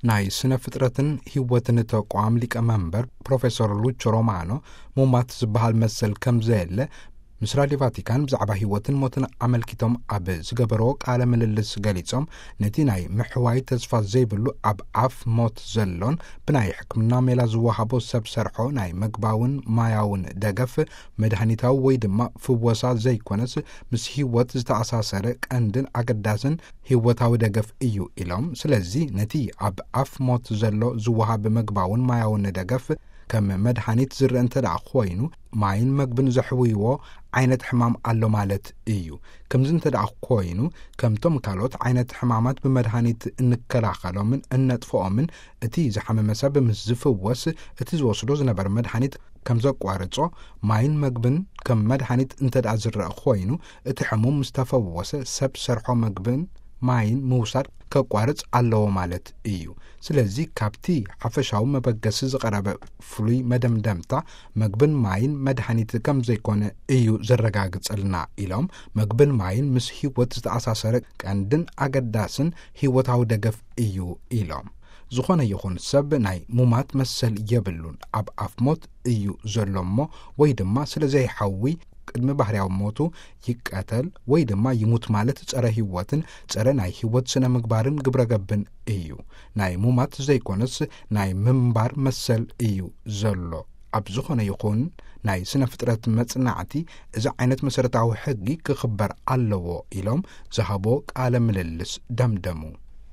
ናይ ስነ ፍጥረትን ህይወትን ተቋም ሊቀመንበር ፕሮፌሰር ሉች ሮማኖ፣ ሙማት ዝበሃል መሰል ከም ዘየለ ምስ ራድዮ ቫቲካን ብዛዕባ ህይወትን ሞትን ኣመልኪቶም ኣብ ዝገበርዎ ቃለ ምልልስ ገሊጾም፣ ነቲ ናይ ምሕዋይ ተስፋ ዘይብሉ ኣብ ኣፍ ሞት ዘሎን ብናይ ሕክምና ሜላ ዝወሃቦ ሰብ ሰርሖ ናይ መግባውን ማያውን ደገፍ መድሃኒታዊ ወይ ድማ ፍወሳ ዘይኮነስ፣ ምስ ህይወት ዝተኣሳሰረ ቀንድን ኣገዳስን ህይወታዊ ደገፍ እዩ ኢሎም። ስለዚ ነቲ ኣብ ኣፍ ሞት ዘሎ ዝወሃብ መግባውን ማያውን ደገፍ ከም መድሃኒት ዝረአ እንተ ደኣ ኮይኑ፣ ማይን መግብን ዘሕውይዎ ዓይነት ሕማም ኣሎ ማለት እዩ። ከምዚ እንተ ደኣ ኮይኑ፣ ከምቶም ካልኦት ዓይነት ሕማማት ብመድሃኒት እንከላኸሎምን እነጥፍኦምን፣ እቲ ዝሓመመ ሰብ ምስ ዝፍወስ፣ እቲ ዝወስዶ ዝነበረ መድሃኒት ከም ዘቋርጾ፣ ማይን መግብን ከም መድሃኒት እንተ ደኣ ዝረአ ኮይኑ፣ እቲ ሕሙም ምስ ተፈወሰ፣ ሰብ ሰርሖ መግብን ማይን ምውሳድ ከቋርጽ ኣለዎ ማለት እዩ። ስለዚ ካብቲ ሓፈሻዊ መበገሲ ዝቐረበ ፍሉይ መደምደምታ፣ መግብን ማይን መድሃኒት ከም ዘይኮነ እዩ ዘረጋግጸልና ኢሎም፣ መግብን ማይን ምስ ህይወት ዝተኣሳሰረ ቀንድን ኣገዳስን ህይወታዊ ደገፍ እዩ ኢሎም። ዝኾነ ይኹን ሰብ ናይ ሙማት መሰል የብሉን። ኣብ ኣፍ ሞት እዩ ዘሎ እሞ፣ ወይ ድማ ስለ ዘይሓዊ ቅድሚ ባህርያዊ ሞቱ ይቀተል ወይ ድማ ይሙት ማለት ጸረ ህይወትን ጸረ ናይ ህይወት ስነ ምግባርን ግብረ ገብን እዩ። ናይ ሙማት ዘይኮነስ ናይ ምንባር መሰል እዩ ዘሎ። ኣብ ዝኾነ ይኹን ናይ ስነ ፍጥረት መጽናዕቲ እዚ ዓይነት መሰረታዊ ሕጊ ክኽበር ኣለዎ ኢሎም ዝሃቦ ቃለ ምልልስ ደምደሙ።